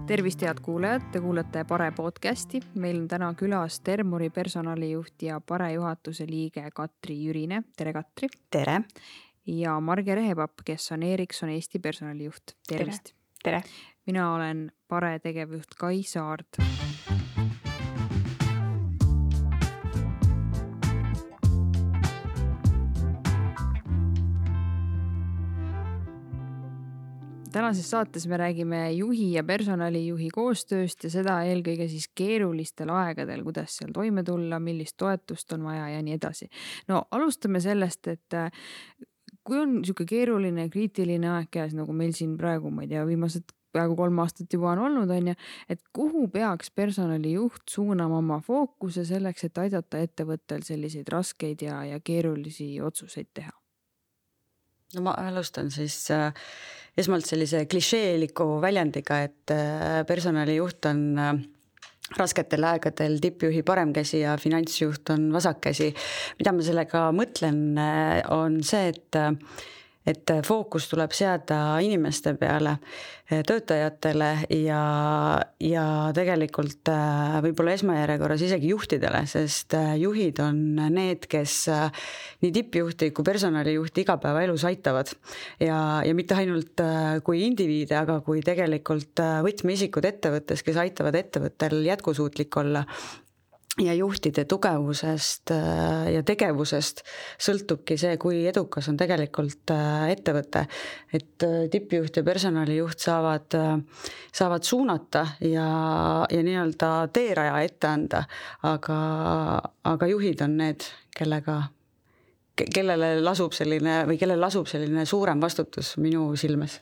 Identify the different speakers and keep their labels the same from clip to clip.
Speaker 1: Tervist, head kuulajad, te kuulate Pare podcasti. Meil on täna külas Termori personalijuht ja Pare juhatuse liige Katri Jürine. Tere, Katri!
Speaker 2: Tere!
Speaker 1: Ja Marge Rehepapp, kes on Ericsson Eesti personalijuht. Tervist!
Speaker 2: Tere!
Speaker 1: Mina olen Pare tegevjuht Kai Saard. Tänases saates me räägime juhi ja personalijuhi koostööst ja seda eelkõige siis keerulistel aegadel, kuidas seal toime tulla, millist toetust on vaja ja nii edasi. No alustame sellest, et kui on niisugune keeruline, kriitiline aeg käes, nagu meil siin praegu, ma ei tea, viimased peaaegu 3 aastat juba on olnud, et kuhu peaks personalijuht suunama oma fookuse selleks, et aidata ettevõttel selliseid raskeid ja keerulisi otsuseid teha?
Speaker 2: No ma alustan siis esmalt sellise klišeeliku väljendiga, et personalijuht on rasketel aegadel tippjuhi paremkäsi ja finantsjuht on vasakkäsi. Mida ma sellega mõtlen, on see, et fookus tuleb seada inimeste peale, töötajatele ja tegelikult võib-olla esmajärjekorras isegi juhtidele, sest juhid on need, kes nii tippjuhti kui personalijuhti igapäevaelus aitavad ja mitte ainult kui indiviide, aga kui tegelikult võtmeisikud ettevõttes, kes aitavad ettevõttel jätkusuutlik olla. Ja juhtide tugevusest ja tegevusest sõltubki see, kui edukas on tegelikult ettevõte. Et tippjuht ja personalijuht saavad suunata ja nii-öelda teeraja ette anda, aga juhid on need, kellel lasub selline suurem vastutus minu silmes.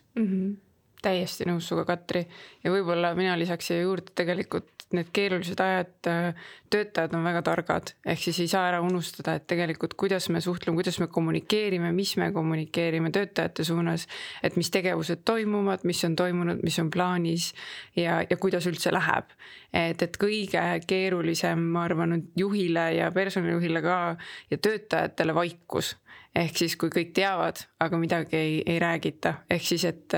Speaker 3: Täiesti nõus suga, Katri. Ja võib-olla mina lisaks siia juurde tegelikult need keerulised ajad, töötajad on väga targad. Ehk siis ei saa ära unustada, et tegelikult kuidas me suhtleme, kuidas me kommunikeerime, mis me kommunikeerime töötajate suunas, et mis tegevused toimuvad, mis on toimunud, mis on plaanis ja kuidas üldse läheb. Et kõige keerulisem, ma arvan, juhile ja personalijuhile ka ja töötajatele vaikus. Ehk siis, kui kõik teavad, aga midagi ei räägita. Ehk siis, et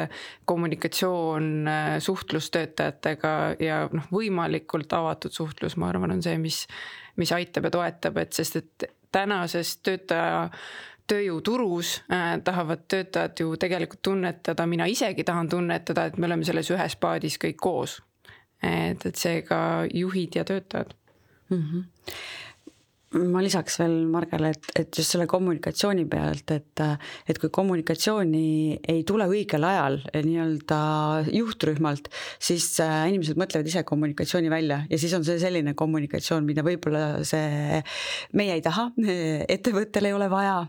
Speaker 3: kommunikatsioon, suhtlus töötajatega ja võimalikult avatud suhtlus, ma arvan, on see, mis aitab ja toetab, sest et tänases tööjõuturus tahavad töötajad ju tegelikult tunnetada, mina isegi tahan tunnetada, et me oleme selles ühes paadis kõik koos. Et seega juhid ja töötajad.
Speaker 2: Ma lisaks veel Margele, et just selle kommunikatsiooni pealt, et kui kommunikatsiooni ei tule õigel ajal nii-öelda juhtrühmalt, siis inimesed mõtlevad ise kommunikatsiooni välja ja siis on see selline kommunikatsioon, mida võib-olla meie ei taha, ettevõttel ei ole vaja.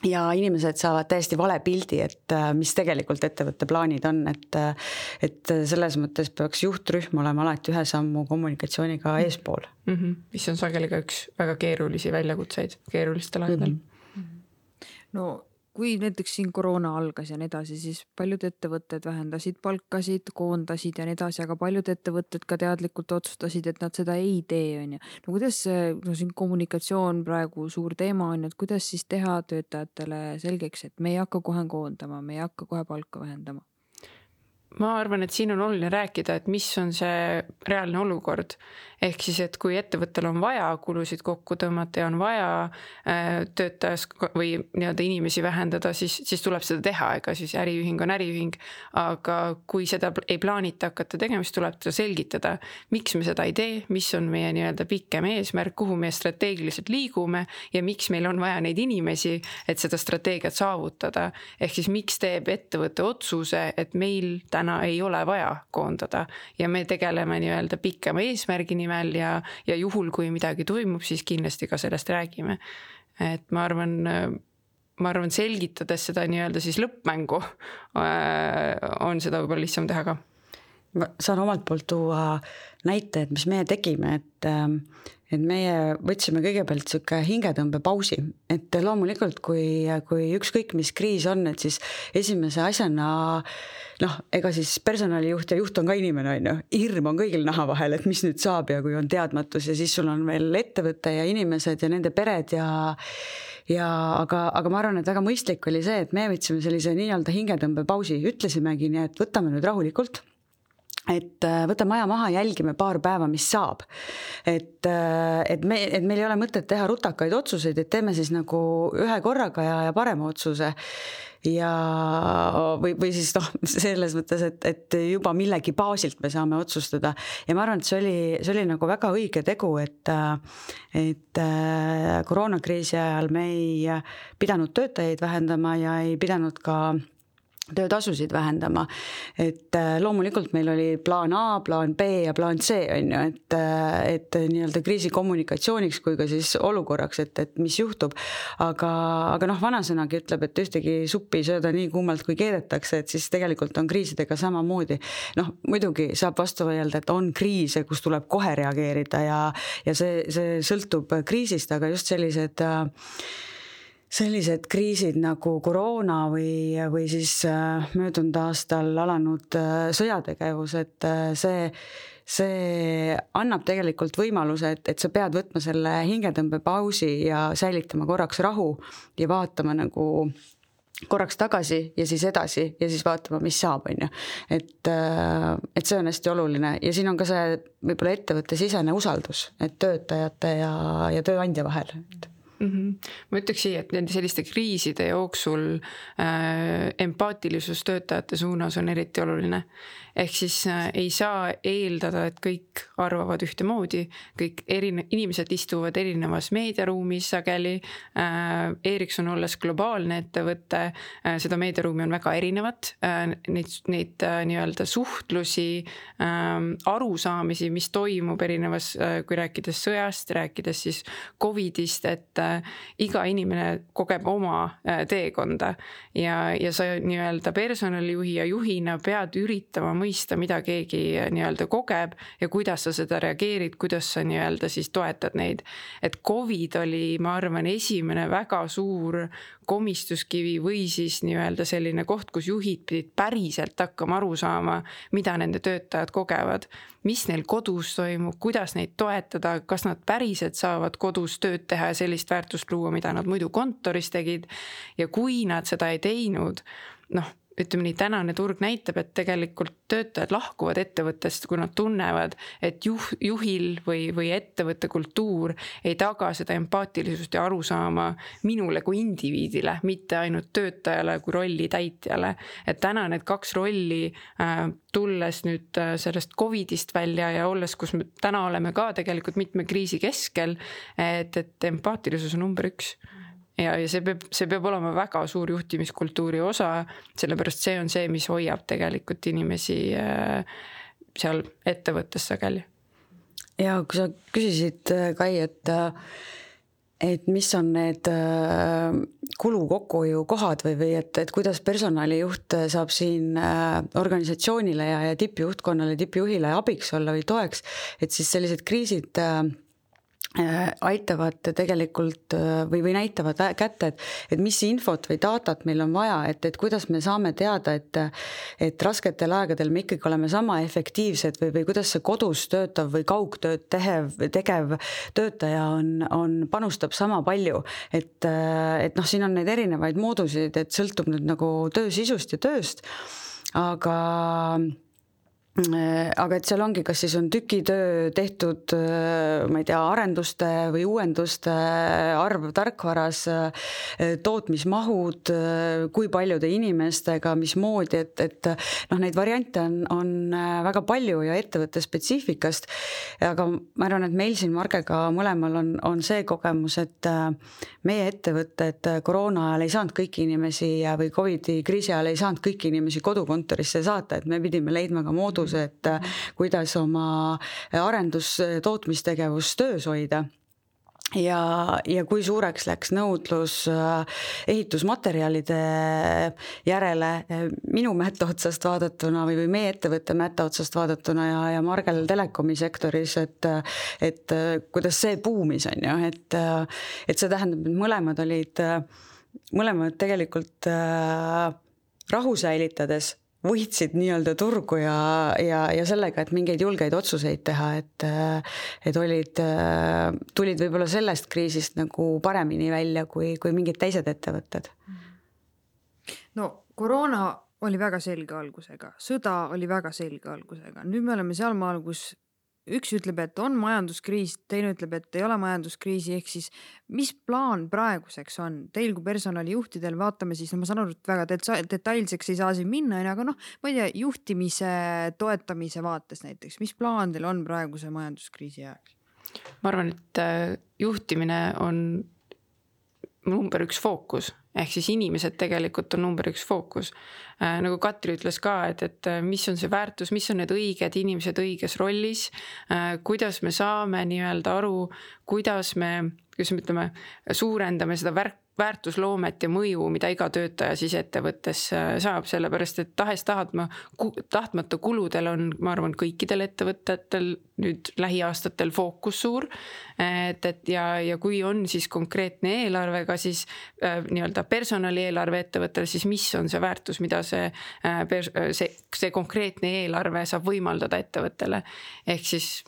Speaker 2: Ja inimesed saavad täiesti vale pildi, et mis tegelikult ettevõtte plaanid on, et selles mõttes peaks juhtrühm olema alati ühe sammu kommunikatsiooniga eespool.
Speaker 3: Mis on sageli ka üks väga keerulisi väljakutseid keerulistel aegadel.
Speaker 1: No kui näiteks siin koroona algas ja nii edasi, siis paljud ettevõtted vähendasid palkasid, koondasid ja nii edasi, aga paljud ettevõtted ka teadlikult otsustasid, et nad seda ei tee. No kuidas siin kommunikatsioon praegu suur teema on, et kuidas siis teha töötajatele selgeks, et me ei hakka kohe koondama, me ei hakka kohe palka vähendama?
Speaker 3: Ma arvan, et siin on oluline rääkida, et mis on see reaalne olukord. Ehk siis, et kui ettevõttel on vaja kulusid kokku tõmmata ja on vaja töötajas või nii-öelda inimesi vähendada, siis tuleb seda teha, ega siis äriühing on äriühing. Aga kui seda ei plaanita hakata tegema, siis tuleb seda selgitada, miks me seda ei tee, mis on meie nii-öelda pikem eesmärk, kuhu me strateegiliselt liigume ja miks meil on vaja neid inimesi, et seda strateegiat saavutada. Ehk siis, miks teeb ettevõtte otsuse, et meil täna ei ole vaja koondada ja me tegeleme nii-öelda pikema eesmärgi nimel ja juhul, kui midagi toimub, siis kindlasti ka sellest räägime. Et ma arvan selgitades seda nii-öelda siis lõppmängu on seda võib-olla lihtsam teha ka.
Speaker 2: Ma saan omalt poolt tuua näite, et mis meie tegime, et meie võtsime kõigepealt selline hingetõmbe pausi, et loomulikult kui ükskõik mis kriis on, et siis esimese asjana ega siis personalijuht ja juht on ka inimene, hirm on kõigil naha vahel, et mis nüüd saab ja kui on teadmatus ja siis sul on veel ettevõte ja inimesed ja nende pered aga ma arvan, et väga mõistlik oli see, et me võtsime sellise nii-öelda hingetõmbe pausi, ütlesimegi nii, et võtame nüüd rahulikult. et võta maja maha, jälgime paar päeva, mis saab. Et meil ei ole mõtet teha rutakaid otsuseid, et teeme siis nagu ühe korraga ja parema otsuse. Ja või siis selles mõttes, et juba millegi baasilt me saame otsustada. Ja ma arvan, et see oli nagu väga õige tegu, et koroonakriisi ajal me ei pidanud töötajaid vähendama ja ei pidanud ka töötasusid vähendama. Et loomulikult meil oli plaan A, plaan B ja plaan C, on ju, et nii-öelda kriisi kommunikatsiooniks kui ka siis olukorraks, et mis juhtub. Aga vanasõnagi ütleb, et ühtegi suppi sööda nii kuumalt kui keedetakse, et siis tegelikult on kriisidega samamoodi. Muidugi saab vastu vaielda, et on kriise, kus tuleb kohe reageerida ja see sõltub kriisist, aga just sellised kriisid nagu koroona või siis möödunud aastal alanud sõjategevus, et see annab tegelikult võimaluse, et sa pead võtma selle hingetõmbepausi ja säilitama korraks rahu ja vaatama nagu korraks tagasi ja siis edasi ja siis vaatama, mis saab, on ju. Et see on hästi oluline ja siin on ka see võib-olla ettevõtte sisene usaldus, et töötajate ja tööandja vahel.
Speaker 3: Ma ütleks siia, et nende selliste kriiside jooksul empaatilisus töötajate suunas on eriti oluline. Ehk siis ei saa eeldada, et kõik arvavad ühtemoodi, kõik inimesed istuvad erinevas meediaruumis sageli. Ericsson olles globaalne ettevõte, seda meediaruumi on väga erinevat, neid nii-öelda suhtlusi, arusaamisi, mis toimub erinevas, kui rääkides sõjast, rääkides siis COVIDist, et iga inimene kogeb oma teekonda ja sa nii-öelda personalijuhi ja juhina pead üritama mõista, mida keegi nii-öelda kogeb ja kuidas sa seda reageerid, kuidas sa nii-öelda siis toetad neid. Et COVID oli, ma arvan, esimene väga suur komistuskivi või siis nii-öelda selline koht, kus juhid pidid päriselt hakkama aru saama, mida nende töötajad kogevad, mis neil kodus toimub, kuidas neid toetada, kas nad päriselt saavad kodus tööd teha ja sellist väärtust luua, mida nad muidu kontoris tegid. Ja kui nad seda ei teinud, ütleme nii, tänane turg näitab, et tegelikult töötajad lahkuvad ettevõttest, kui nad tunnevad, et juhil või ettevõtte kultuur ei taga seda empaatilisust ja arusaama minule kui indiviidile, mitte ainult töötajale kui rolli täitjale. Et täna need kaks rolli tulles nüüd sellest COVIDist välja ja olles, kus me täna oleme ka tegelikult mitme kriisi keskel, et empaatilisus on number 1. Ja see peab olema väga suur juhtimiskultuuri osa, sellepärast see on see, mis hoiab tegelikult inimesi seal ettevõttes sageli.
Speaker 2: Ja kui sa küsisid, Kai, et mis on need kulu kokkuhoiu kohad või et kuidas personalijuht saab siin organisatsioonile ja tippjuhtkonnale, tippjuhile abiks olla või toeks, et siis sellised kriisid aitavad tegelikult või näitavad kätte, et mis infot või datat meil on vaja, et kuidas me saame teada, et rasketel aegadel me ikkagi oleme sama efektiivsed või kuidas see kodus töötav või kaugtööd tegev töötaja panustab sama palju. Et siin on neid erinevaid moodusid, et sõltub nüüd nagu töö sisust ja tööst, aga et seal ongi, kas siis on tükitöö tehtud, ma ei tea, arenduste või uuenduste arv tarkvaras, tootmismahud, kui paljude inimestega, mismoodi, et neid variante on väga palju ja ettevõtte spetsiifikast, aga ma arvan, et meil siin Margega mõlemal on see kogemus, et meie ettevõtted koroona ajal ei saanud kõiki inimesi või COVID-i kriisi ajal ei saanud kõiki inimesi kodukontorisse saata, et me pidime leidma ka moodus, et kuidas oma arendus-tootmistegevus töös hoida. Ja kui suureks läks nõudlus ehitusmaterjalide järele minu mätta otsast vaadatuna või meie ettevõtte mätta otsast vaadatuna ja Margel telekomi sektoris, et kuidas see buumis on ju, et see tähendab, et mõlemad tegelikult rahu säilitades võitsid nii-öelda turgu ja sellega, et mingeid julgeid otsuseid teha, et tulid võib-olla sellest kriisist nagu paremini välja kui mingid teised ettevõtted.
Speaker 1: No koroona oli väga selge algusega, sõda oli väga selge algusega. Nüüd me oleme sealmaal, kus üks ütleb, et on majanduskriis, teine ütleb, et ei ole majanduskriisi, ehk siis mis plaan praeguseks on? Teil kui personalijuhtidel, vaatame siis, ma saan aru, et väga detailseks ei saa siin minna, aga ma ei tea, juhtimise toetamise vaates näiteks, mis plaan teil on praeguse majanduskriisi ajaks?
Speaker 3: Ma arvan, et juhtimine on number 1 fookus, ehk siis inimesed tegelikult on number 1 fookus. Nagu Katri ütles ka, et mis on see väärtus, mis on need õiged inimesed õiges rollis, kuidas me saame nii-öelda aru, kuidas me ütleme, suurendame seda väärtusloomet ja mõju, mida iga töötaja siis ettevõttes saab, sellepärast et tahtmata kuludel on, ma arvan, kõikidel ettevõtetel nüüd lähiaastatel fookus suur, ja kui on siis konkreetne eelarvega, siis nii-öelda personalieelarve ettevõttel, siis mis on see väärtus, mida see konkreetne eelarve saab võimaldada ettevõttele. Ehk siis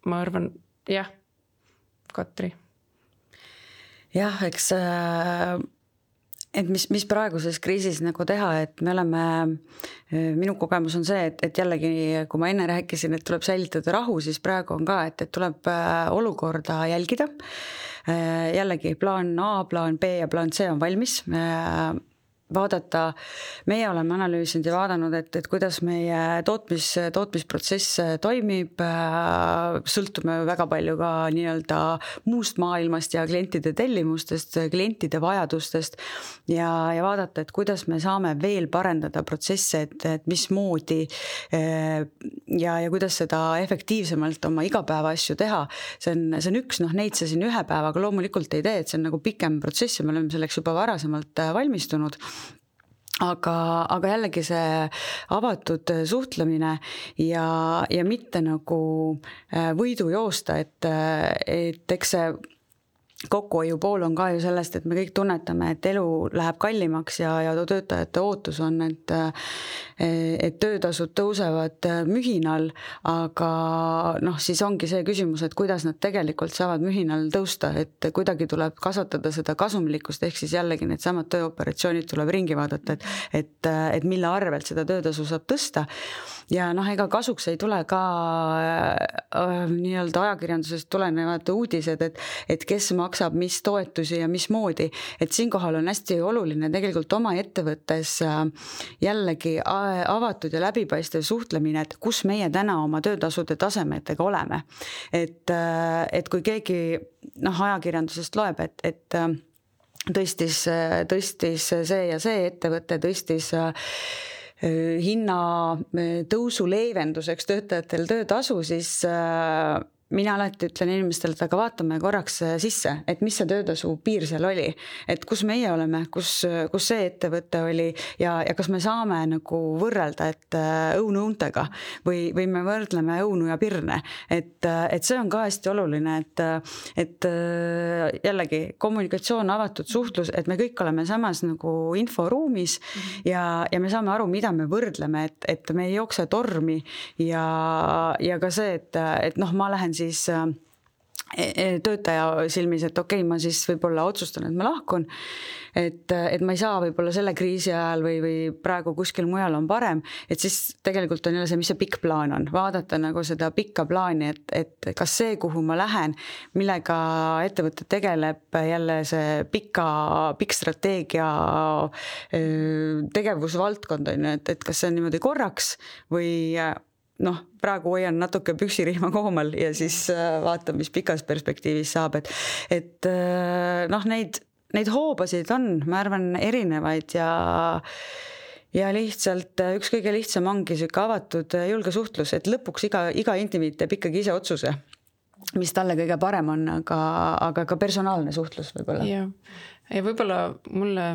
Speaker 3: ma arvan, jah, Katri.
Speaker 2: Jah, eks et mis praeguses kriisis nagu teha, et me oleme, minu kogemus on see, et jällegi, kui ma enne rääkisin, et tuleb säilitada rahu, siis praegu on ka, et tuleb olukorda jälgida. Jällegi plaan A, plaan B ja plaan C on valmis. Vaadata, meie oleme analüüsinud ja vaadanud, et kuidas meie tootmisprotsess toimib, sõltume väga palju ka nii-öelda muust maailmast ja klientide tellimustest, klientide vajadustest ja vaadata, et kuidas me saame veel parendada protsesse, et mismoodi ja kuidas seda efektiivsemalt oma igapäeva asju teha. See on üks, neid see siin ühe päevaga loomulikult ei tee, et see on nagu pikem protsess ja me oleme selleks juba varasemalt valmistunud. Aga jällegi see avatud suhtlemine ja mitte nagu võidu joosta, et eks see kokkuhoiu pool on ka ju sellest, et me kõik tunnetame, et elu läheb kallimaks ja töötajate ootus on, et töötasud tõusevad mühinal, aga siis ongi see küsimus, et kuidas nad tegelikult saavad mühinal tõusta, et kuidagi tuleb kasvatada seda kasumlikkust, ehk siis jällegi need samad tööoperatsioonid tuleb ringi vaadata, et mille arvelt seda töötasu saab tõsta. Ja ega kasuks ei tule ka nii-öelda ajakirjandusest tulenevad uudised, et kes maksab mis toetusi ja mismoodi, et siinkohal on hästi oluline tegelikult oma ettevõttes jällegi avatud ja läbipaistev suhtlemine, et kus meie täna oma töötasude tasemetega oleme. Et kui keegi ajakirjandusest loeb, et tõstis see ja see ettevõte, tõstis hinna tõusu leevenduseks töötajatel töötasu, siis mina alati ütlen inimestele, et aga vaatame korraks sisse, et mis see töötasu piir seal oli, et kus meie oleme, kus see ettevõte oli ja kas me saame nagu võrrelda, et õunu õuntega või me võrdleme õunu ja pirne, et see on ka hästi oluline, et jällegi kommunikatsioon, avatud suhtlus, et me kõik oleme samas nagu inforuumis ja me saame aru, mida me võrdleme, et me ei jookse tormi ja ka see, et ma lähen siis töötaja silmis, et okei, ma siis võib-olla otsustan, et ma lahkun, et ma ei saa võib-olla selle kriisi ajal või praegu kuskil mujal on parem, et siis tegelikult on jälle see, mis see pikk plaan on, vaadata nagu seda pikka plaani, et kas see, kuhu ma lähen, millega ettevõte tegeleb, jälle see pikk strateegia tegevusvaldkond on, et kas see on niimoodi korraks või praegu hoian natuke püksirihma koomal ja siis vaatan, mis pikas perspektiivis saab, et neid hoobasid on, ma arvan, erinevaid ja lihtsalt üks kõige lihtsam ongi selline avatud julge suhtlus, et lõpuks iga indiviid teeb ikkagi ise otsuse, mis talle kõige parem on, aga ka personaalne suhtlus võib-olla.
Speaker 3: Ja võib-olla mulle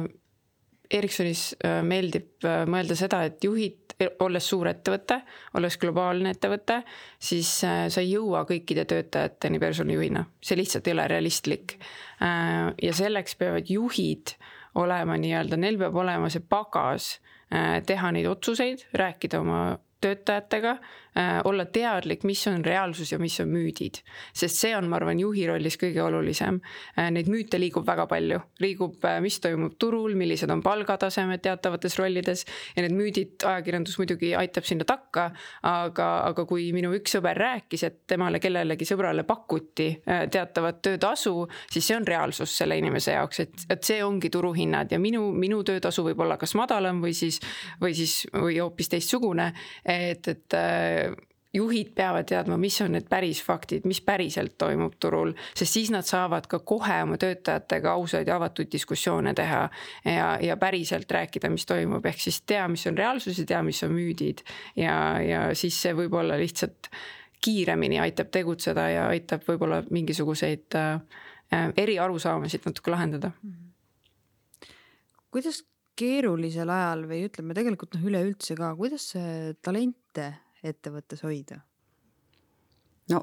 Speaker 3: Ericssonis meeldib mõelda seda, et juhid, olles suur ettevõte, olles globaalne ettevõte, siis sa ei jõua kõikide töötajateni personalijuhina. See lihtsalt ei ole realistlik. Ja selleks peavad juhid olema nii-öelda, neil peab olema see pagas teha neid otsuseid, rääkida oma töötajatega, olla teadlik, mis on reaalsus ja mis on müüdid. Sest see on, ma arvan, juhi rollis kõige olulisem. Neid müüte liigub väga palju. Liigub, mis toimub turul, millised on palgatasemed teatavates rollides ja need müüdid ajakirjandus muidugi aitab sinna takka, aga kui minu üks sõber rääkis, et temale kellelegi sõbrale pakuti teatavat töötasu, siis see on reaalsus selle inimese jaoks, et see ongi turuhinnad ja minu töötasu võib olla kas madalam või hoopis teistsugune, et juhid peavad teadma, mis on need päris faktid, mis päriselt toimub turul, sest siis nad saavad ka kohe oma töötajatega ausaid ja avatud diskussioone teha ja päriselt rääkida, mis toimub, ehk siis tea, mis on reaalsus ja tea, mis on müüdid ja siis see võib olla lihtsalt kiiremini aitab tegutseda ja aitab võib-olla mingisuguseid eri arusaamasid natuke lahendada.
Speaker 1: Kuidas keerulisel ajal või ütleme tegelikult üleüldse ka, kuidas talente ettevõttes hoida?
Speaker 2: No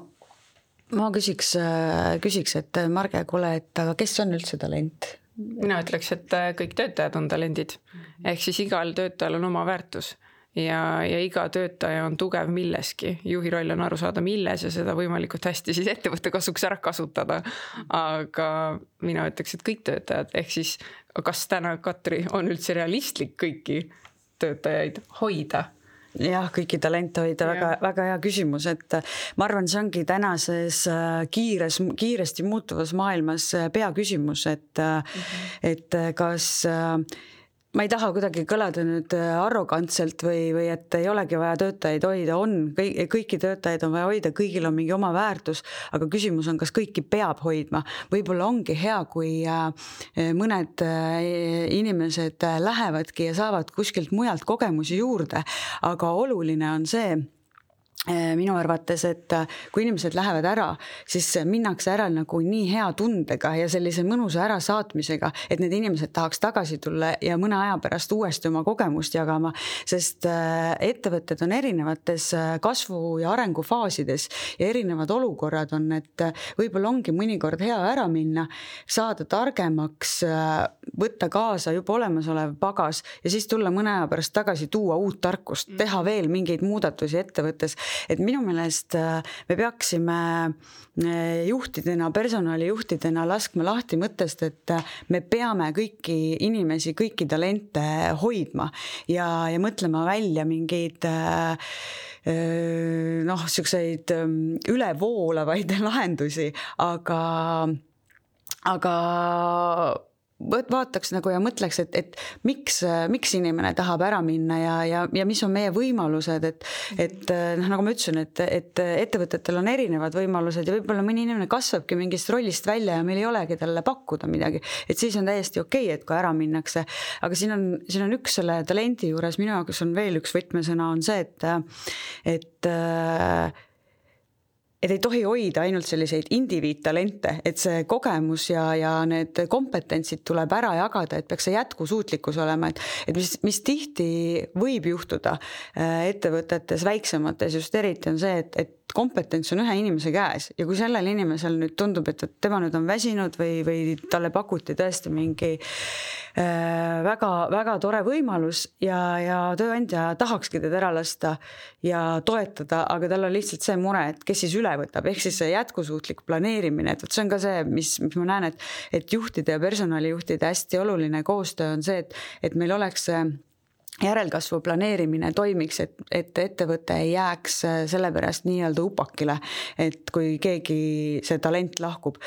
Speaker 2: ma küsiks, et Marge, kuule, et aga kes on üldse talent?
Speaker 3: Mina ütleks, et kõik töötajad on talendid. Ehk siis igal töötajal on oma väärtus ja iga töötaja on tugev milleski. Juhi roll on aru saada milles ja seda võimalikult hästi siis ettevõtte kasuks ära kasutada. Aga mina ütleks, et kõik töötajad, ehk siis kas täna, Katri, on üldse realistlik kõiki töötajaid hoida?
Speaker 2: Jah, kõiki talente hoida, väga hea küsimus, et ma arvan, see ongi tänases kiiresti muutuvas maailmas peaküsimus, et kas ma ei taha kuidagi kõlada nüüd arrogantselt või et ei olegi vaja töötajaid hoida, kõiki töötajaid on vaja hoida, kõigil on mingi oma väärtus, aga küsimus on, kas kõiki peab hoidma. Võib-olla ongi hea, kui mõned inimesed lähevadki ja saavad kuskilt mujalt kogemusi juurde, aga oluline on see, minu arvates, et kui inimesed lähevad ära, siis minnakse ära nagu nii hea tundega ja sellise mõnusa ära saatmisega, et need inimesed tahaks tagasi tulla ja mõne aja pärast uuesti oma kogemust jagama, sest ettevõtted on erinevates kasvu- ja arengufaasides ja erinevad olukorrad on, et võib-olla ongi mõnikord hea ära minna, saada targemaks, võtta kaasa juba olemasolev pagas ja siis tulla mõne aja pärast tagasi, tuua uut tarkust, teha veel mingeid muudatusi ettevõttes. Et minu meelest me peaksime juhtidena, personalijuhtidena laskma lahti mõttest, et me peame kõiki inimesi, kõiki talente hoidma ja mõtlema välja mingeid selliseid ülevoolavaid lahendusi, aga vaataks nagu ja mõtleks, et miks inimene tahab ära minna ja mis on meie võimalused, et nagu ma ütlesin, et ettevõtetel on erinevad võimalused ja võib-olla mõni inimene kasvabki mingist rollist välja ja meil ei olegi talle pakkuda midagi, et siis on täiesti okei, et kui ära minnakse, aga siin on üks selle talendi juures, minu jaoks on veel üks võtmesõna on see, et ei tohi hoida ainult selliseid indiviidtalente, et see kogemus ja need kompetentsid tuleb ära jagada, et peaks see jätkusuutlikkus olema, et mis tihti võib juhtuda ettevõtetes väiksemates just eriti on see, et kompetents on ühe inimese käes ja kui sellel inimesel nüüd tundub, et tema nüüd on väsinud või talle pakuti tõesti mingi väga, väga tore võimalus ja tööandja tahakski teda ära lasta ja toetada, aga tal on lihtsalt see mure, et kes siis üle võtab, ehk siis see jätkusuutlik planeerimine, et see on ka see, mis ma näen, et juhtide ja personalijuhtide hästi oluline koostöö on see, et meil oleks järelkasvu planeerimine toimiks, et ettevõte ei jääks sellepärast nii-öelda upakile, et kui keegi see talent lahkub.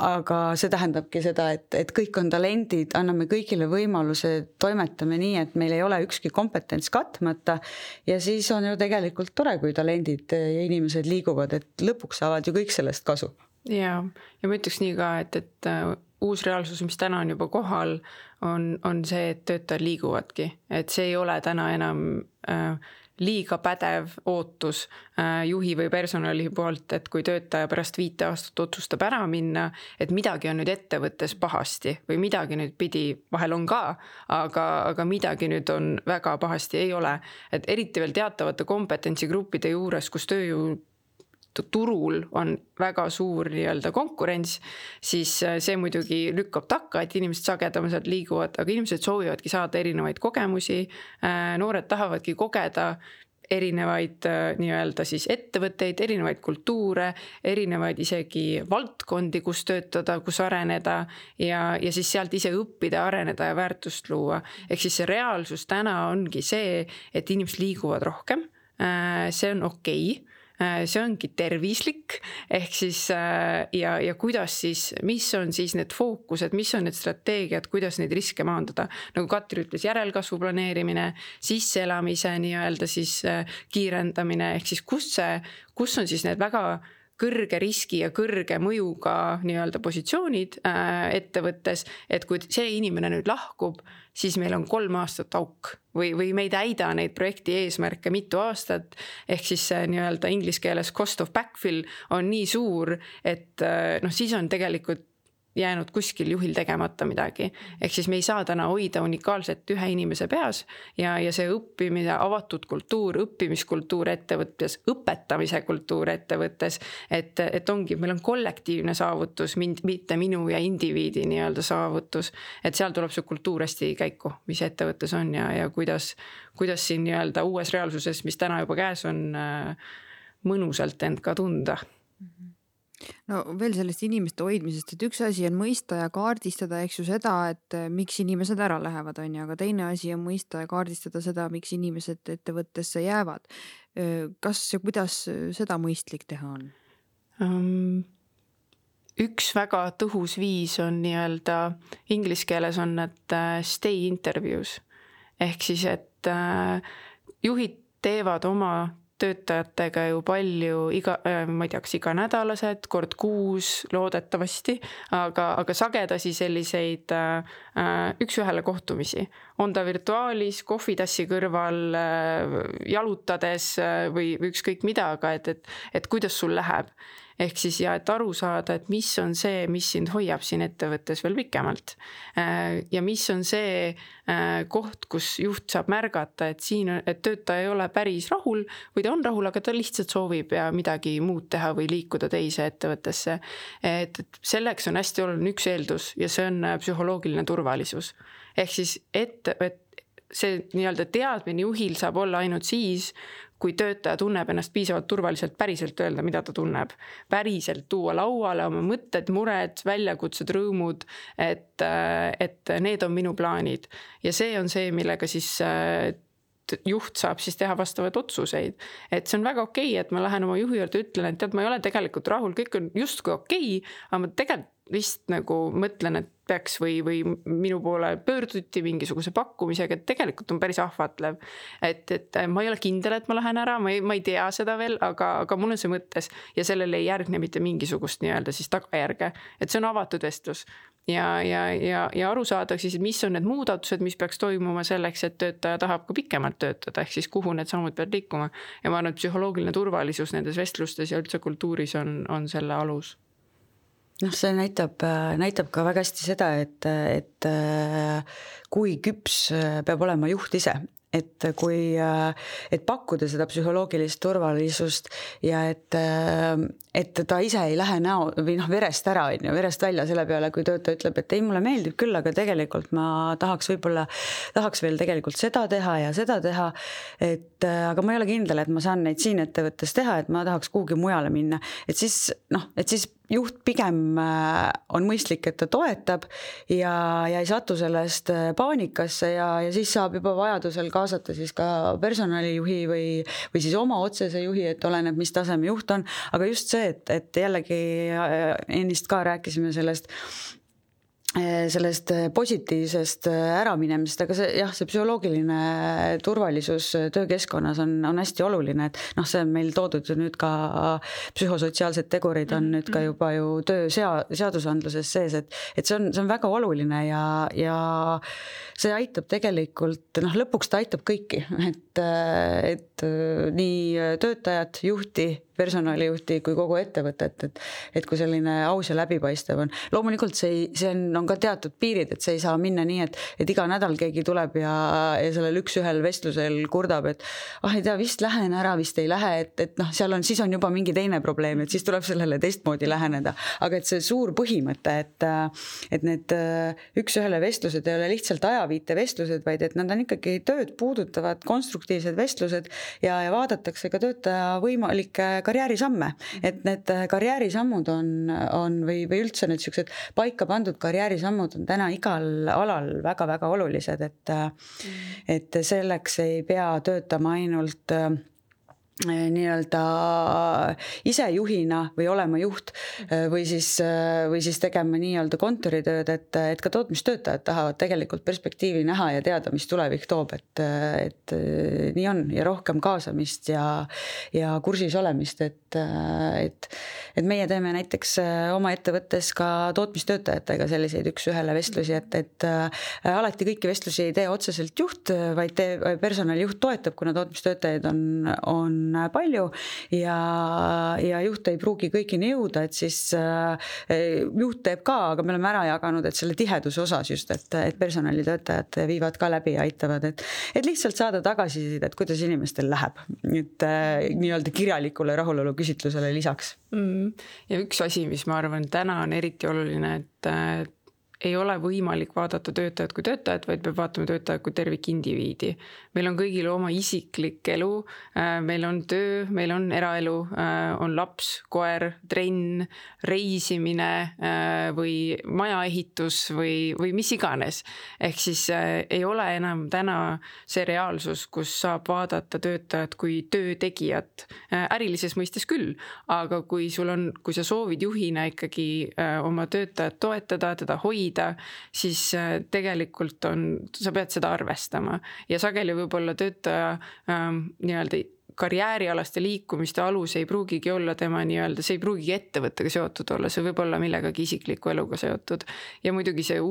Speaker 2: Aga see tähendabki seda, et kõik on talendid, anname kõigile võimaluse, toimetame nii, et meil ei ole ükski kompetents katmata ja siis on ju tegelikult tore, kui talendid ja inimesed liiguvad, et lõpuks saavad ju kõik sellest kasu.
Speaker 3: Ja ma ütleks nii ka, et uus reaalsus, mis täna on juba kohal, on see, et töötajad liiguvadki. Et see ei ole täna enam liiga pädev ootus juhi või personali poolt, et kui töötaja pärast 5 aastat otsustab ära minna, et midagi on nüüd ettevõttes pahasti või midagi nüüd pidi, vahel on ka, aga midagi nüüd on väga pahasti, ei ole. Et eriti veel teatavate kompetentsigruppide juures, kus tööjõu turul on väga suur nii-öelda konkurents, siis see muidugi lükkab takka, et inimesed sagedamalt liiguvad, aga inimesed soovivadki saada erinevaid kogemusi, noored tahavadki kogeda erinevaid nii-öelda siis ettevõtteid, erinevaid kultuure, erinevaid isegi valdkondi, kus töötada, kus areneda ja siis sealt ise õppida, areneda ja väärtust luua. Ehk siis see reaalsus täna ongi see, et inimesed liiguvad rohkem, see on okei. See ongi tervislik, ehk siis ja kuidas siis, mis on siis need fookused, mis on need strateegiad, kuidas neid riske maandada. Nagu Katri ütles, järelkasvu planeerimine, sisseelamise nii-öelda siis kiirendamine, ehk siis kus on siis need väga kõrge riski ja kõrge mõjuga nii-öelda positsioonid ettevõttes, et kui see inimene nüüd lahkub, siis meil on 3 aastat auk või me ei täida neid projekti eesmärke mitu aastat, ehk siis nii-öelda inglise keeles cost of backfill on nii suur, et siis on tegelikult jäänud kuskil juhil tegemata midagi. Ehk siis me ei saa täna hoida unikaalset ühe inimese peas ja see õppimine, avatud kultuur, õppimiskultuur ettevõttes, õpetamise kultuur ettevõttes, et ongi, meil on kollektiivne saavutus, mitte minu ja indiviidi nii-öelda saavutus, et seal tuleb see kultuur hästi käiku, mis ettevõttes on ja kuidas siin nii-öelda uues reaalsuses, mis täna juba käes on, mõnusalt end ka tunda.
Speaker 1: No veel sellest inimeste hoidmisest, et üks asi on mõista ja kaardistada, eks ju seda, et miks inimesed ära lähevad, on ju, aga teine asi on mõista ja kaardistada seda, miks inimesed ettevõttesse jäävad. Kas ja kuidas seda mõistlik teha on?
Speaker 3: Üks väga tõhus viis on nii-öelda, inglise keeles on need stay interviews. Ehk siis, et juhid teevad oma töötajatega ju palju ma ei tea, kas iganädalased, kord kuus loodetavasti, aga sagedasi selliseid üks-ühele kohtumisi. On ta virtuaalis, kohvitassi kõrval, jalutades või ükskõik mida, aga et kuidas sul läheb. Ehk siis et aru saada, et mis on see, mis sind hoiab siin ettevõttes veel pikemalt. Ja mis on see koht, kus juht saab märgata, et töötaja ei ole päris rahul või ta on rahul, aga ta lihtsalt soovib ja midagi muud teha või liikuda teise ettevõttesse. Et selleks on hästi oluline üks eeldus ja see on psühholoogiline turvalisus. Ehk siis, et see nii-öelda teadmine juhil saab olla ainult siis, kui töötaja tunneb ennast piisavalt turvaliselt päriselt öelda, mida ta tunneb. Päriselt tuua lauale oma mõtted, mured, väljakutsed, rõõmud, et need on minu plaanid. Ja see on see, millega siis juht saab siis teha vastavad otsuseid. Et see on väga okei, et ma lähen oma juhi juurde ütlen, et tead, ma ei ole tegelikult rahul, kõik on justkui okei, aga ma tegelikult vist nagu mõtlen, et peaks või minu poole pöörduti mingisuguse pakkumisega, et tegelikult on päris ahvatlev. Et ma ei ole kindel, et ma lähen ära, ma ei tea seda veel, aga mul on see mõttes ja sellele ei järgne mitte mingisugust nii-öelda siis tagajärge. Et see on avatud vestlus ja aru saadaks siis, mis on need muudatused, mis peaks toimuma selleks, et töötaja tahab ka pikemalt töötada, ehk siis kuhu need sammud peavad liikuma. Ja ma arvan, et psühholoogiline turvalisus nendes vestlustes ja üldse kultuuris on selle alus.
Speaker 2: See näitab ka väga hästi seda, et kui küps peab olema juht ise, et pakkuda seda psühholoogilist turvalisust ja et ta ise ei lähe verest ära, verest välja selle peale, kui töötaja ütleb, et ei, mulle meeldib küll, aga tegelikult ma tahaks veel tegelikult seda teha ja seda teha, aga ma ei ole kindel, et ma saan neid siin ettevõttes teha, et ma tahaks kuhugi mujale minna, et siis juht pigem on mõistlik, et ta toetab ja ei satu sellest paanikasse ja siis saab juba vajadusel kaasata siis ka personalijuhi või siis oma otsese juhi, et oleneb, mis taseme juht on, aga just see, et jällegi ennist ka rääkisime sellest positiivsest äraminemisest, aga see psühholoogiline turvalisus töökeskkonnas on hästi oluline, et see on meil toodud nüüd ka psühhosotsiaalsed tegurid on nüüd ka juba ju töö seadusandluses sees, et see on väga oluline ja see aitab tegelikult, lõpuks ta aitab kõiki, et nii töötajat, juhti personalijuhti kui kogu ettevõtet, et kui selline aus ja läbipaistev on. Loomulikult see on ka teatud piirid, et see ei saa minna nii, et iga nädal keegi tuleb ja sellel üks-ühel vestlusel kurdab, et ei tea, vist lähen ära, vist ei lähe, et seal siis on juba mingi teine probleem, et siis tuleb sellele teistmoodi läheneda. Aga et see suur põhimõte, et need üks-ühele vestlused ei ole lihtsalt ajaviite vestlused, vaid et nad on ikkagi tööd puudutavad konstruktiivsed vestlused ja vaadatakse ka töötaja võimalikke karjäärisamme, et need karjäärisammud on või üldse need sellised paika pandud karjäärisammud on täna igal alal väga-väga olulised, et selleks ei pea töötama ainult nii-öelda ise juhina või olema juht või siis tegema nii-öelda kontoritööd, et ka tootmistöötajad tahavad tegelikult perspektiivi näha ja teada, mis tulevik toob, et nii on ja rohkem kaasamist ja kursis olemist, et meie teeme näiteks oma ettevõttes ka tootmistöötajatega selliseid üks-ühele vestlusi, et alati kõiki vestlusi ei tee otseselt juht, vaid personalijuht toetab, kuna tootmistöötajaid on palju ja juht ei pruugi kõigini jõuda, et siis juht teeb ka, aga me oleme ära jaganud, et selle tiheduse osas just, et personalitöötajad viivad ka läbi ja aitavad, et lihtsalt saada tagasisidet, et kuidas inimestel läheb, et nii-öelda kirjalikule rahulolu küsitlusele lisaks.
Speaker 3: Ja üks asi, mis ma arvan, täna on eriti oluline, et ei ole võimalik vaadata töötajat kui töötajat, vaid peab vaatama töötajat kui tervikindiviidi. Meil on kõigil oma isiklik elu, meil on töö, meil on eraelu, on laps, koer, trenn, reisimine või majaehitus või mis iganes. Ehk siis ei ole enam täna see reaalsus, kus saab vaadata töötajat kui töötegijat. Ärilises mõistes küll, aga kui sa soovid juhina ikkagi oma töötajat toetada, teda hoida, siis tegelikult sa pead seda arvestama ja sageli võib-olla töötaja nii-öelda karjäärialaste liikumiste alus ei pruugigi olla tema nii-öelda, see ei pruugigi ettevõttega seotud olla, see võib olla millegagi isikliku eluga seotud ja muidugi see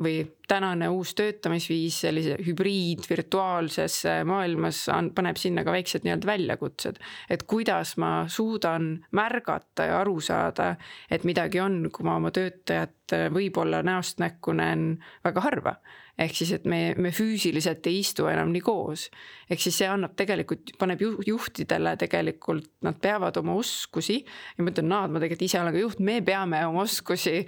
Speaker 3: või tänane uus töötamisviis sellise hübriid virtuaalses maailmas paneb sinna ka väiksed nii-öelda väljakutsed, et kuidas ma suudan märgata ja aru saada, et midagi on, kui ma oma töötajat võib-olla näost näkku näen väga harva. Ehk siis, et me füüsiliselt ei istu enam nii koos. Ehk siis see paneb juhtidele tegelikult, nad peavad oma oskusi, ja ma ütlen, ma tegelikult ise olen ka juht, me peame oma oskusi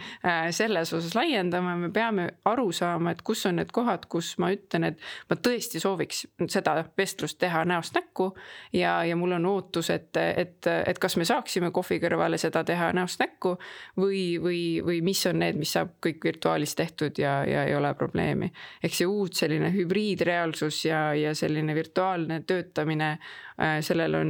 Speaker 3: selles osas laiendama, me peame aru saama, et kus on need kohad, kus ma ütlen, et ma tõesti sooviks seda vestlust teha näost näkku ja mul on ootus, et kas me saaksime kohvi kõrvale seda teha näost näkku või mis on need, mis saab kõik virtuaalis tehtud ja ei ole probleemi. Ehk see uut selline hübriidreaalsus ja selline virtuaalne töötamine, sellel on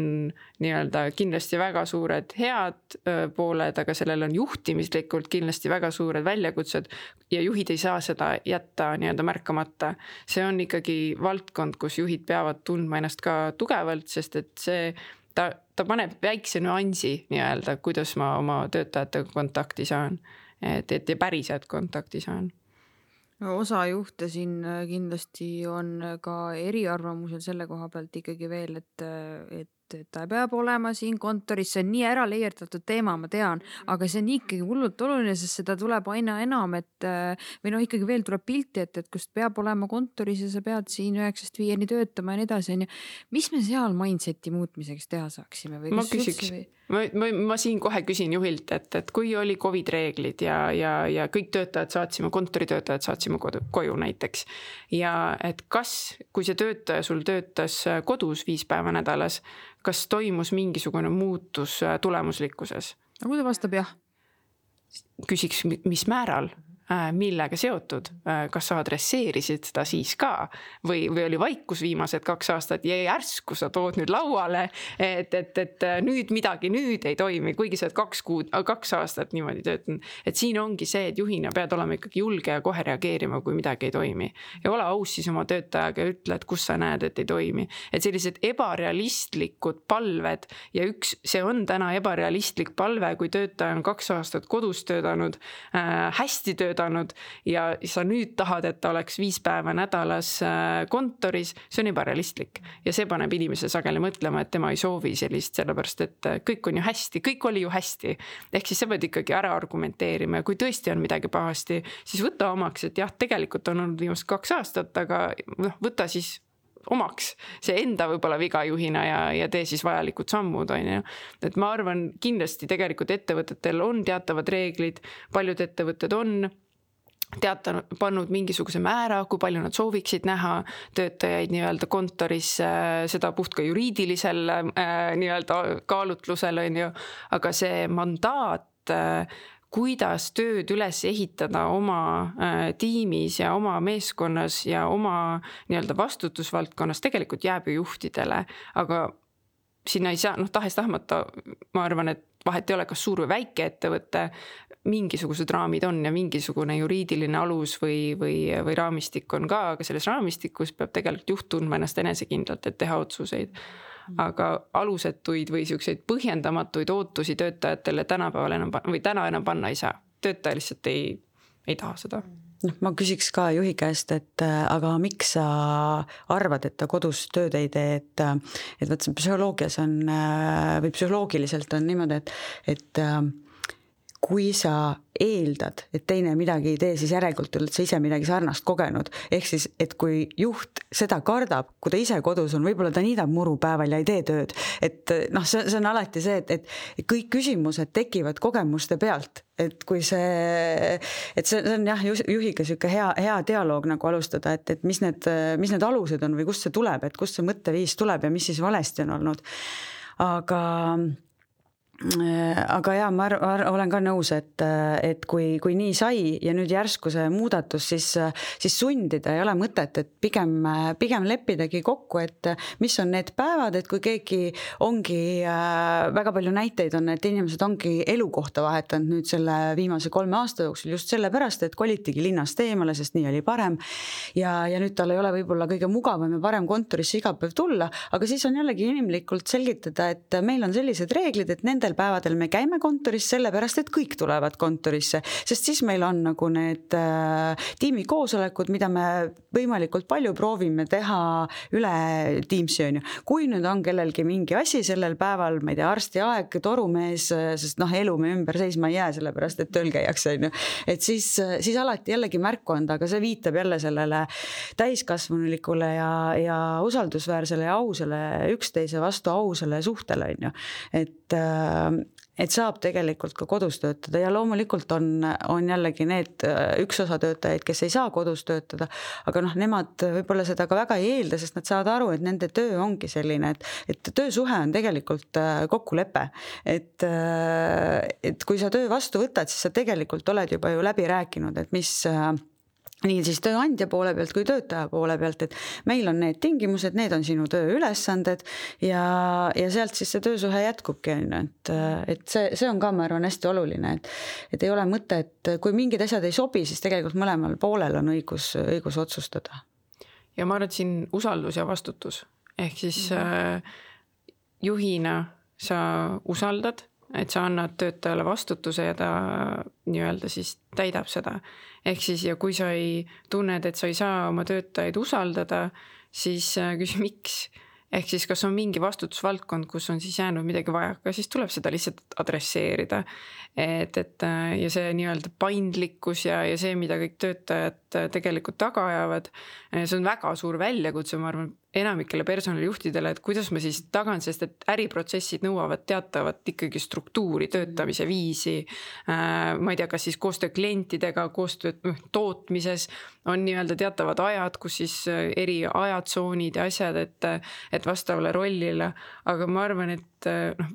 Speaker 3: nii-öelda kindlasti väga suured head pooled, aga sellel on juhtimislikult kindlasti väga suured väljakutsed ja juhid ei saa seda jätta nii-öelda märkamata. See on ikkagi valdkond, kus juhid peavad tundma ennast ka tugevalt, sest et ta paneb väikse nüansi nii-öelda, kuidas ma oma töötajatega kontakti saan, et päriselt kontakti saan.
Speaker 1: Osa juhte siin kindlasti on ka eriarvamusel selle koha pealt ikkagi veel, et ta peab olema siin kontoris, see on nii ära leierdatud teema, ma tean, aga see on ikkagi hullult oluline, sest seda tuleb aina enam, või ikkagi veel tuleb pilti, et kust peab olema kontoris ja sa pead siin 9-5 töötama ja nii edasi. Mis me seal mindseti muutmiseks teha saaksime?
Speaker 3: Ma küsiks. Ma siin kohe küsin juhilt, et kui oli COVID reeglid ja kõik kontoritöötajad saatsime koju näiteks ja et kui see töötaja sul töötas kodus 5 päeva nädalas, kas toimus mingisugune muutus tulemuslikkuses?
Speaker 1: Aga kui ta vastab jah?
Speaker 3: Küsiks, mis määral? Millega seotud, kas sa adresseerisid seda siis ka või oli vaikus viimased 2 aastat ja järsku sa tood nüüd lauale, et nüüd midagi ei toimi, kuigi sa 2 aastat niimoodi töötanud. Et siin ongi see, et juhina pead olema ikkagi julge ja kohe reageerima, kui midagi ei toimi. Ja ole aus siis oma töötajaga ja ütle, et kus sa näed, et ei toimi. Et sellised ebarealistlikud palved ja see on täna ebarealistlik palve, kui töötaja on 2 aastat kodus töötanud, hästi töötanud, vedanud ja sa nüüd tahad, et ta oleks 5 päeva nädalas kontoris, see on ebarealistlik. Ja see paneb inimese sageli mõtlema, et tema ei soovi sellist, sellepärast et kõik on ju hästi, kõik oli ju hästi. Ehk siis sa pead ikkagi ära argumenteerima ja kui tõesti on midagi pahasti, siis võta omaks, et jah, tegelikult on olnud viimast 2 aastat, aga võta siis omaks see enda võib-olla viga juhina ja tee siis vajalikud sammud, on ju. Et ma arvan, kindlasti tegelikult ettevõtetel on teatavad reeglid, paljud ettevõtted on pannud mingisuguse määra, kui palju nad sooviksid näha töötajaid nii-öelda kontoris, seda puht ka juriidilisel nii-öelda kaalutlusel, on ju, aga see mandaat, kuidas tööd üles ehitada oma tiimis ja oma meeskonnas ja oma nii-öelda vastutusvaldkonnas tegelikult jääb ju juhtidele, aga sinna ei saa, tahes-tahmata, ma arvan, et vahet ei ole, kas suur või väike ettevõte, mingisugused raamid on ja mingisugune juriidiline alus või raamistik on ka, aga selles raamistikus peab tegelikult juht tundma ennast enesekindlalt, et teha otsuseid. Aga alusetuid või selliseid põhjendamatuid ootusi töötajatele tänapäeval enam panna ei saa. Töötaja lihtsalt ei taha seda.
Speaker 2: Ma küsiks ka juhi käest, et aga miks sa arvad, et ta kodus tööd ei tee, et võt psühholoogias on või psühholoogiliselt on niimoodi, et kui sa eeldad, et teine midagi ei tee, siis järelikult oled sa ise midagi sarnast kogenud. Ehk siis, et kui juht seda kardab, kui ta ise kodus on, võib-olla ta niidab muru päeval ja ei tee tööd. Et see on alati see, et kõik küsimused tekivad kogemuste pealt. Et kui see on jah, juhiga selline hea dialoog nagu alustada, et mis need alused on või kust see tuleb, et kust see mõtteviis tuleb ja mis siis valesti on olnud. Aga jah, ma olen ka nõus, et kui nii sai ja nüüd järsku see muudatus, siis sundida ei ole mõtet, et pigem leppidagi kokku, et mis on need päevad, et kui keegi ongi, väga palju näiteid on, et inimesed ongi elukohta vahetanud nüüd selle viimase 3 aasta jooksul just sellepärast, et kolitigi linnast eemale, sest nii oli parem ja nüüd tal ei ole võib-olla kõige mugavam ja parem kontorisse iga päev tulla, aga siis on jällegi inimlikult selgitada, et meil on sellised reeglid, et nendel päevadel me käime kontoris sellepärast, et kõik tulevad kontorisse, sest siis meil on nagu need tiimikoosolekud, mida me võimalikult palju proovime teha üle Teamsi, on ju. Kui nüüd on kellelgi mingi asi sellel päeval, ma ei tea, arstiaeg, torumees, sest elu me ümber seisma ei jää, sellepärast, et tööl käiakse, on ju. Et siis alati jällegi märku anda, aga see viitab jälle sellele täiskasvanulikule ja usaldusväärsele ja ausale, üksteise vastu ausale suhtele, on ju. Et saab tegelikult ka kodus töötada ja loomulikult on jällegi need üks osa töötajaid, kes ei saa kodus töötada, aga nemad võib-olla seda ka väga ei eelda, sest nad saavad aru, et nende töö ongi selline, et töösuhe on tegelikult kokkulepe, et kui sa töö vastu võtad, siis sa tegelikult oled juba ju läbi rääkinud, et mis nii siis tööandja poole pealt kui töötaja poole pealt, et meil on need tingimused, need on sinu tööülesanded ja sealt siis see töösuhe jätkubki, et see on ka, ma arvan, hästi oluline, et ei ole mõte, et kui mingid asjad ei sobi, siis tegelikult mõlemal poolel on õigus otsustada.
Speaker 3: Ja ma arvan, et siin usaldus ja vastutus, ehk siis juhina sa usaldad, et sa annad töötajale vastutuse ja ta nii-öelda siis täidab seda. Ehk siis, ja kui sa ei tunned, et sa ei saa oma töötajaid usaldada, siis küsi miks. Ehk siis, kas on mingi vastutusvaldkond, kus on siis jäänud midagi vajaka, siis tuleb seda lihtsalt adresseerida. Ja see nii-öelda paindlikkus ja see, mida kõik töötajad tegelikult taga ajavad, see on väga suur väljakutse, ma arvan, enamikele personalijuhtidele, et kuidas ma siis tagan, sest et äriprotsessid nõuavad teatavat ikkagi struktuuri, töötamise viisi. Ma ei tea, kas siis koostöö klientidega, koostöö tootmises on nii-öelda teatavad ajad, kus siis eri ajatsoonid ja asjad, et vastavale rollile. Aga ma arvan, et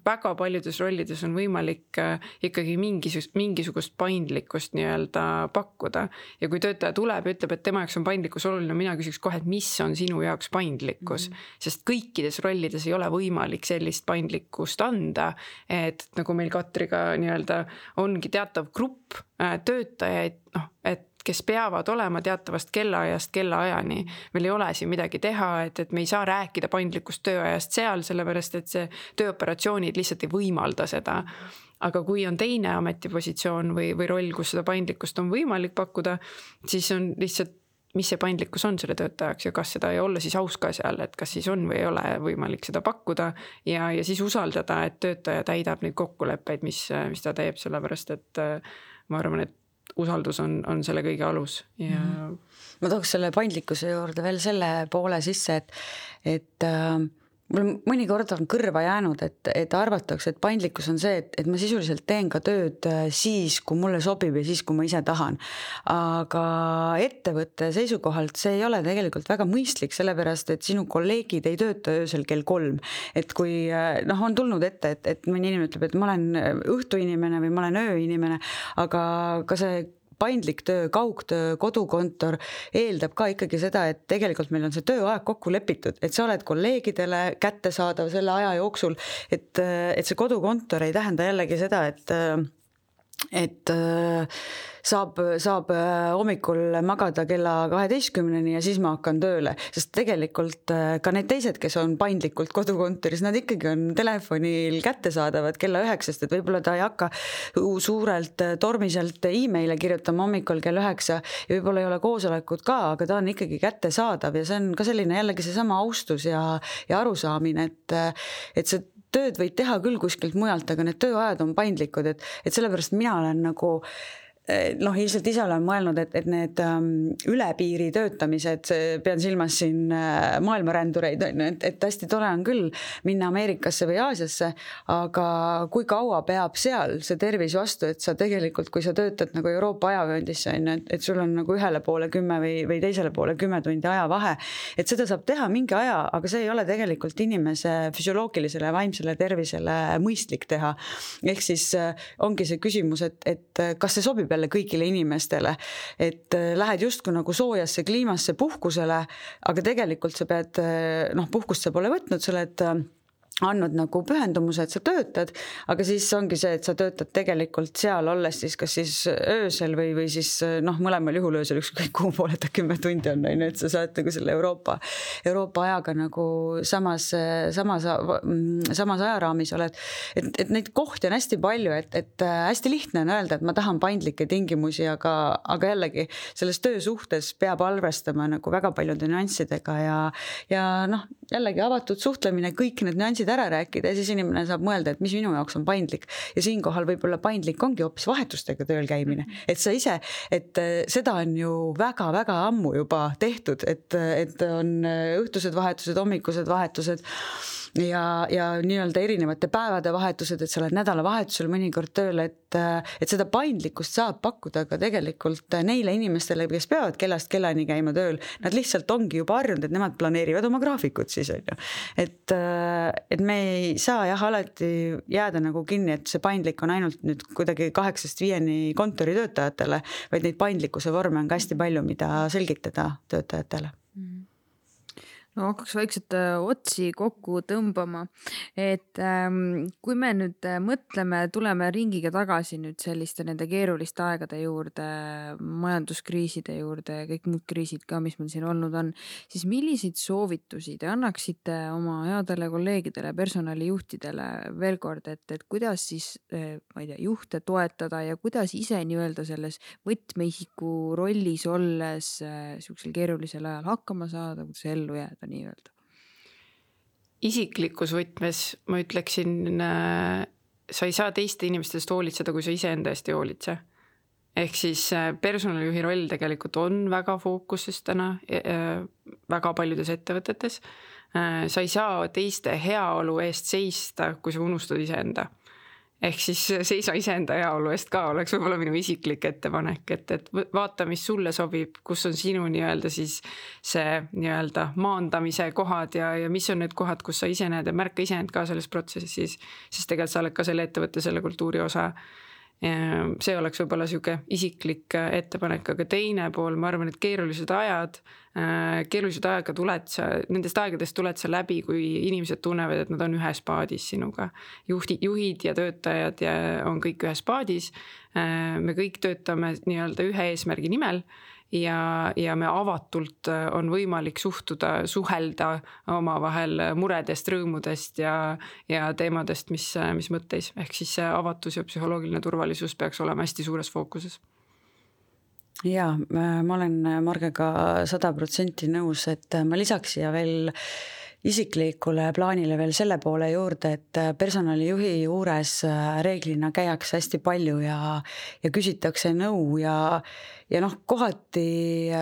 Speaker 3: väga paljudes rollides on võimalik ikkagi mingisugust paindlikkust nii-öelda pakkuda. Ja kui töötaja tuleb ja ütleb, et tema jaoks on paindlikkus oluline, mina küsiks kohe, et mis on sinu jaoks paindlikkus, sest kõikides rollides ei ole võimalik sellist paindlikkust anda, et nagu meil Katriga nii-öelda ongi teatav grupp töötajaid, et kes peavad olema teatavast kellaajast kellaajani. Meil ei ole siin midagi teha, et me ei saa rääkida paindlikust tööajast seal, sellepärast et see tööoperatsioonid lihtsalt ei võimalda seda. aga kui on teine ametipositsioon või roll, kus seda paindlikkust on võimalik pakkuda, siis on lihtsalt, mis see paindlikkus on selle töötajaks ja kas seda ei olla siis aus ka seal, et kas siis on või ei ole võimalik seda pakkuda ja siis usaldada, et töötaja täidab neid kokkuleppeid, mis ta teeb, sellepärast et ma arvan, et usaldus on selle kõige alus ja
Speaker 2: ma tooks selle paindlikkuse juurde veel selle poole sisse, et mul mõnikord on kõrva jäänud, et arvatakse, et paindlikkus on see, et ma sisuliselt teen ka tööd siis, kui mulle sobib ja siis, kui ma ise tahan. Aga ettevõtte seisukohalt see ei ole tegelikult väga mõistlik, sellepärast, et sinu kolleegid ei tööta öösel kell 3. Et kui on tulnud ette, et mõni inimene ütleb, et ma olen õhtuinimene või ma olen ööinimene, aga ka see paindlik töö, kaugtöö, kodukontor eeldab ka ikkagi seda, et tegelikult meil on see tööaeg kokku lepitud, et sa oled kolleegidele kättesaadav selle aja jooksul, et see kodukontor ei tähenda jällegi seda, et saab hommikul magada kella 12-ni ja siis ma hakkan tööle, sest tegelikult ka need teised, kes on paindlikult kodukontoris, nad ikkagi on telefonil kättesaadavad kella 9, et võib-olla ta ei hakka suurelt tormiselt e-maile kirjutama hommikul kell 9 ja võib-olla ei ole koosolekut ka, aga ta on ikkagi kättesaadav ja see on ka selline jällegi seesama austus ja arusaamine, et see tööd võid teha küll kuskilt mujalt, aga need tööajad on paindlikud, et sellepärast mina olen nagu ilmselt ise olen mõelnud, et need üle piiri töötamised, pean silmas siin maailmarändureid, et hästi tore on küll minna Ameerikasse või Aasiasse, aga kui kaua peab seal see tervis vastu, et sa tegelikult, kui sa töötad nagu Euroopa ajavööndis, et sul on nagu ühele poole 10 või teisele poole 10 tundi ajavahe, et seda saab teha mingi aja, aga see ei ole tegelikult inimese füsioloogilisele ja vaimsele tervisele mõistlik teha. Ehk siis ongi see küsimus, et kas see sobib jälle kõigile inimestele, et lähed justkui nagu soojasse kliimasse puhkusele, aga tegelikult sa pead, puhkust sa pole võtnud, sa oled andnud nagu pühendumuse, et sa töötad, aga siis ongi see, et sa töötad tegelikult seal olles siis kas siis öösel või siis mõlemal juhul öösel ükskõik kuhu poole ta 10 tundi on, et sa saad nagu selle Euroopa ajaga nagu samas ajaraamis oled. Et neid kohti on hästi palju, et hästi lihtne on öelda, et ma tahan paindlikke tingimusi, aga jällegi selles töösuhtes peab arvestama nagu väga paljude nüanssidega ja jällegi avatud suhtlemine, kõik need nüansid ära rääkida ja siis inimene saab mõelda, et mis minu jaoks on paindlik ja siinkohal võib-olla paindlik ongi hoopis vahetustega tööl käimine, et sa ise, et seda on ju väga-väga ammu juba tehtud, et on õhtused vahetused, hommikused vahetused ja nii-öelda erinevate päevade vahetused, et sa oled nädalavahetusel mõnikord tööl, et seda paindlikkust saab pakkuda ka tegelikult neile inimestele, kes peavad kellast kellani käima tööl, nad lihtsalt ongi juba harjunud, et nemad planeerivad oma graafikut siis on ju. Et me ei saa alati jääda nagu kinni, et see paindlik on ainult nüüd kuidagi 8-5 kontoritöötajatele, vaid neid paindlikkuse vorme on ka hästi palju, mida selgitada töötajatele.
Speaker 1: No hakkaks vaikselt otsi kokku tõmbama, et kui me nüüd mõtleme, tuleme ringiga tagasi nüüd selliste nende keeruliste aegade juurde, majanduskriiside juurde ja kõik muud kriisid ka, mis meil siin olnud on, siis milliseid soovitusi te annaksite oma headele kolleegidele, personalijuhtidele veel kord, et kuidas siis, ma ei tea, juhte toetada ja kuidas ise nii-öelda selles võtmeisiku rollis olles sellisel keerulisel ajal hakkama saada, kuidas ellu jääda? Nii-öelda.
Speaker 3: Isiklikus võtmes ma ütleksin, sa ei saa teiste inimestest hoolitseda, kui sa ise enda eest ei hoolitse. Ehk siis personalijuhi roll tegelikult on väga fookuses täna väga paljudes ettevõtetes. Sa ei saa teiste heaolu eest seista, kui sa unustad iseenda. Ehk siis seisa iseenda heaolu eest ka oleks võib-olla minu isiklik ettepanek, et vaata, mis sulle sobib, kus on sinu nii-öelda siis see nii-öelda maandamise kohad ja mis on need kohad, kus sa ise näed ja märka iseend ka selles protsessis, sest tegelikult sa oled ka selle ettevõtte, selle kultuuri osa. See oleks võib-olla siuke isiklik ettepanek, aga teine pool, ma arvan, et keerulised aega nendest aegadest tuled sa läbi, kui inimesed tunnevad, et nad on ühes paadis sinuga. Juhid ja töötajad on kõik ühes paadis. me kõik töötame nii-öelda ühe eesmärgi nimel ja me avatult on võimalik suhelda omavahel muredest, rõõmudest ja teemadest, mis mõtteis. Ehk siis see avatus ja psühholoogiline turvalisus peaks olema hästi suures fookuses.
Speaker 2: Jaa, ma olen Margega 100% nõus, et ma lisaks siia veel isiklikule plaanile veel selle poole juurde, et personalijuhi juures reeglina käiakse hästi palju ja küsitakse nõu ja kohati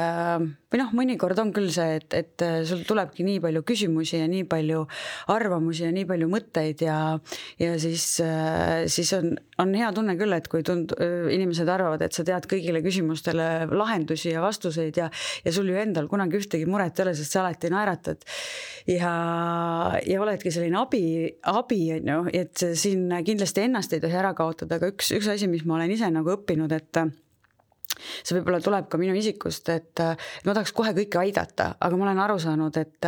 Speaker 2: või mõnikord on küll see, et sul tulebki nii palju küsimusi ja nii palju arvamusi ja nii palju mõtteid ja siis on hea tunne küll, et kui inimesed arvavad, et sa tead kõigile küsimustele lahendusi ja vastuseid ja sul ju endal kunagi ühtegi muret ei ole, sest sa alati naeratad ja oledki selline abi, et siin kindlasti ennast ei tohi ära kaotada, aga üks asi, mis ma olen ise õppinud, et see võib-olla tuleb ka minu isikust, et ma tahaks kohe kõike aidata, aga ma olen aru saanud, et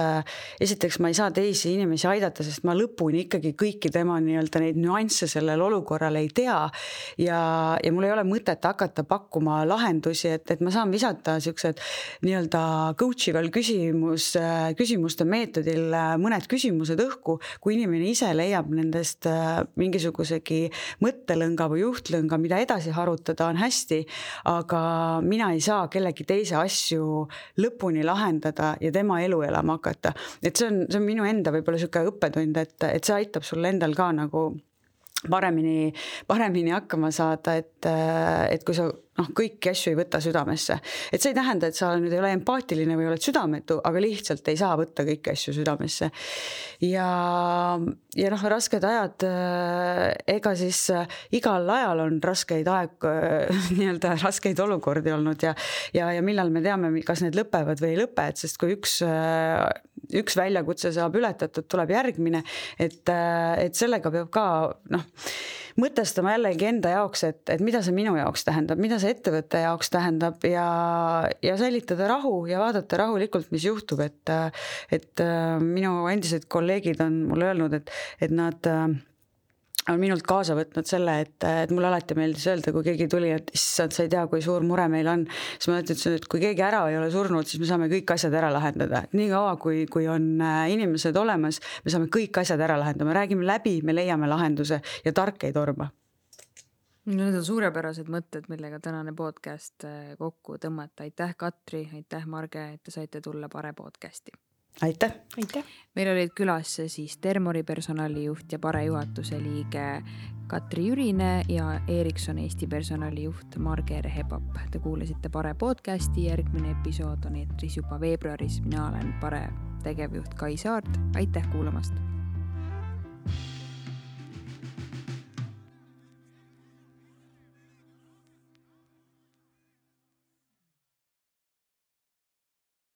Speaker 2: esiteks ma ei saa teisi inimesi aidata, sest ma lõpuni ikkagi kõiki tema neid nüansse sellel olukorral ei tea ja mul ei ole mõtet hakata pakkuma lahendusi, et ma saan visata siuksed coachival küsimuste meetodil mõned küsimused õhku, kui inimene ise leiab nendest mingisugusegi mõttelõnga või juhtlõnga, mida edasi harutada, on hästi, aga mina ei saa kellegi teise asju lõpuni lahendada ja tema elu elama hakata. Et see on minu enda võib-olla siuke õppetund, et see aitab sul endal ka paremini hakkama saada, et kui sa kõiki asju ei võta südamesse. Et see ei tähenda, et sa nüüd ei ole empaatiline või oled südametu, aga lihtsalt ei saa võtta kõiki asju südamesse. Ja rasked ajad, ega siis igal ajal on raskeid raskeid olukordi olnud ja millal me teame, kas need lõpevad või ei lõpe, et sest kui üks väljakutse saab ületatud, tuleb järgmine, et sellega peab ka mõtestama jällegi enda jaoks, et mida see minu jaoks tähendab, mida see ettevõtte jaoks tähendab ja säilitada rahu ja vaadata rahulikult, mis juhtub, et minu endised kolleegid on mulle öelnud, et nad on minult kaasa võtnud selle, et mulle alati meeldis öelda, kui keegi tuli, et issand, sa ei tea, kui suur mure meil on, siis ma ütlesin, et kui keegi ära ei ole surnud, siis me saame kõik asjad ära lahendada. Nii kaua, kui on inimesed olemas, me saame kõik asjad ära lahendada, me räägime läbi, me leiame lahenduse ja tark ei torma.
Speaker 1: Need on suurepärased mõtted, millega tänane podcast kokku tõmmata. Aitäh, Katri, aitäh, Marge, et te saite tulla Pare podcasti.
Speaker 2: Aitäh!
Speaker 1: Meil olid külas siis Termori personalijuht ja Pare juhatuse liige Katri Jürine ja Ericsson Eesti personalijuht Marge Rehepap. Te kuulasite Pare podcasti, järgmine episood on eetris juba veebruaris. Mina olen Pare tegevjuht Kai Saart. Aitäh kuulamast!